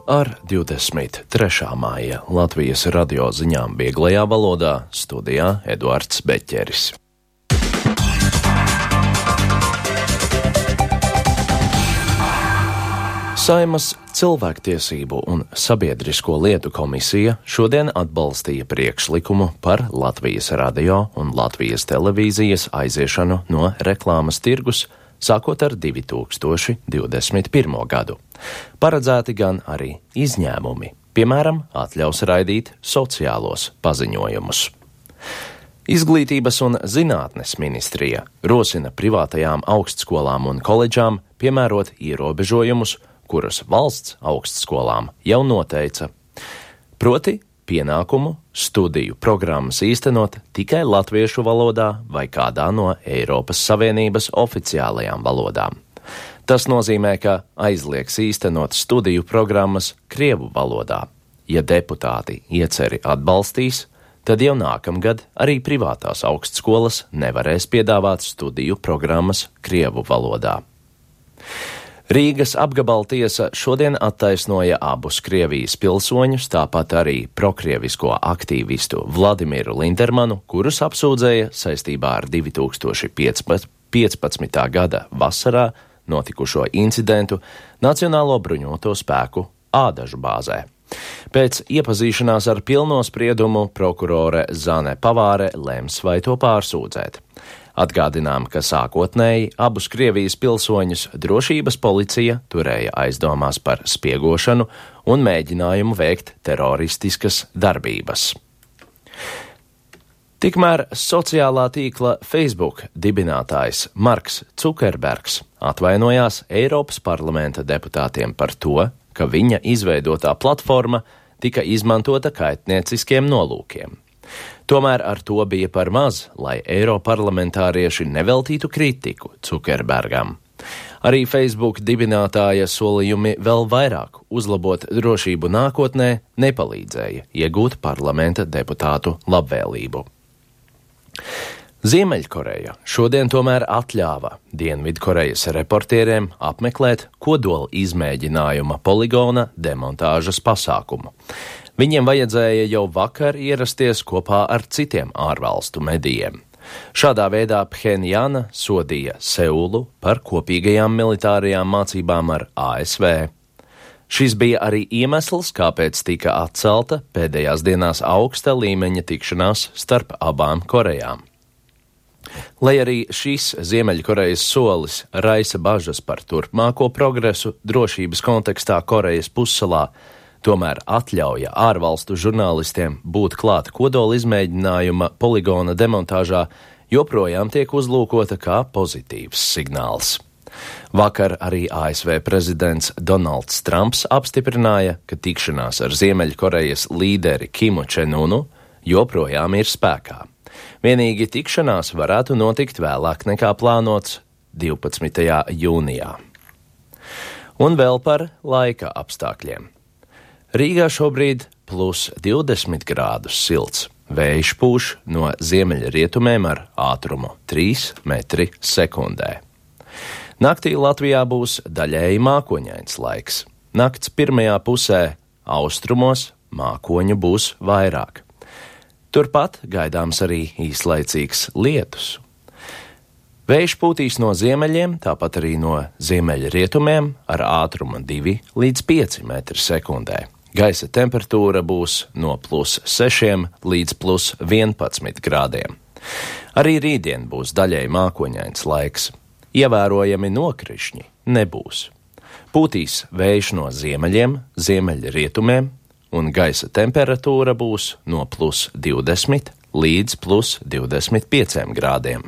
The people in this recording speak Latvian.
ar 23. māja Latvijas radio ziņām vieglajā valodā, studijā Eduards Beķeris. Saeimas cilvēktiesību un sabiedrisko lietu komisija šodien atbalstīja priekšlikumu par Latvijas radio un Latvijas televīzijas aiziešanu no reklāmas tirgus, sākot ar 2021. gadu. Paredzēti gan arī izņēmumi, piemēram, atļaus raidīt sociālos paziņojumus. Izglītības un zinātnes ministrija rosina privātajām augstskolām un koledžām piemērot ierobežojumus, kurus valsts augstskolām jau noteica. Proti, pienākumu studiju programmas īstenot tikai latviešu valodā vai kādā no Eiropas Savienības oficiālajām valodām. Tas nozīmē, ka aizliegs īstenot studiju programmas krievu valodā. Ja deputāti ieceri atbalstīs, tad jau nākamgad arī privātās augstskolas nevarēs piedāvāt studiju programmas krievu valodā. Rīgas apgabaltiesa šodien attaisnoja abus Krievijas pilsoņus, tāpat arī prokrievisko aktīvistu Vladimiru Lindermanu, kurus apsūdzēja saistībā ar 2015. gada vasarā notikušo incidentu Nacionālo bruņoto spēku Ādažu bāzē. Pēc iepazīšanās ar pilno spriedumu prokurore Zane Pavāre lems vai to pārsūdzēt. Atgādinām, ka sākotnēji abus Krievijas pilsoņus drošības policija turēja aizdomās par spiegošanu un mēģinājumu veikt teroristiskas darbības. Tikmēr sociālā tīkla Facebook dibinātājs Marks Cukerbergs atvainojās Eiropas parlamenta deputātiem par to, ka viņa izveidotā platforma tika izmantota kaitnieciskiem nolūkiem. Tomēr ar to bija par maz, lai eiroparlamentārieši neveltītu kritiku Cukerbergam. Arī Facebook dibinātāja solījumi vēl vairāk uzlabot drošību nākotnē nepalīdzēja iegūt parlamenta deputātu labvēlību. Ziemeļkoreja šodien tomēr atļāva Dienvidkorejas reportieriem apmeklēt kodola izmēģinājuma poligona demontāžas pasākumu. Viņiem vajadzēja jau vakar ierasties kopā ar citiem ārvalstu medijiem. Šādā veidā Phenjana sodīja Seulu par kopīgajām militārajām mācībām ar ASV. Šis bija arī iemesls, kāpēc tika atcelta pēdējās dienās augsta līmeņa tikšanās starp abām Korejām. Lai arī šis Ziemeļkorejas solis raisa bažas par turpmāko progresu drošības kontekstā Korejas pussalā, tomēr atļauja ārvalstu žurnālistiem būt klāt kodola izmēģinājuma poligona demontāžā joprojām tiek uzlūkota kā pozitīvs signāls. Vakar arī ASV prezidents Donalds Trumps apstiprināja, ka tikšanās ar Ziemeļkorejas līderi Kimu Čenunu joprojām ir spēkā. Vienīgi tikšanās varētu notikt vēlāk nekā plānots 12. jūnijā. Un vēl par laika apstākļiem. Rīgā šobrīd plus 20 grādus silts. Vējš pūš no ziemeļrietumiem ar ātrumu 3 metri sekundē. Naktī Latvijā būs daļēji mākoņains laiks. Nakts pirmajā pusē austrumos mākoņu būs vairāk. Turpat gaidāms arī īslaicīgs lietus. Vējš pūtīs no ziemeļiem, tāpat arī no ziemeļrietumiem ar ātrumu 2 līdz 5 metri sekundē. Gaisa temperatūra būs no plus 6 līdz plus 11 grādiem. Arī rītdien būs daļēji mākoņains laiks. Ievērojami nokrišņi nebūs. Pūtīs vējš no ziemeļiem, ziemeļrietumiem, un gaisa temperatūra būs no plus 20 līdz plus 25 grādiem.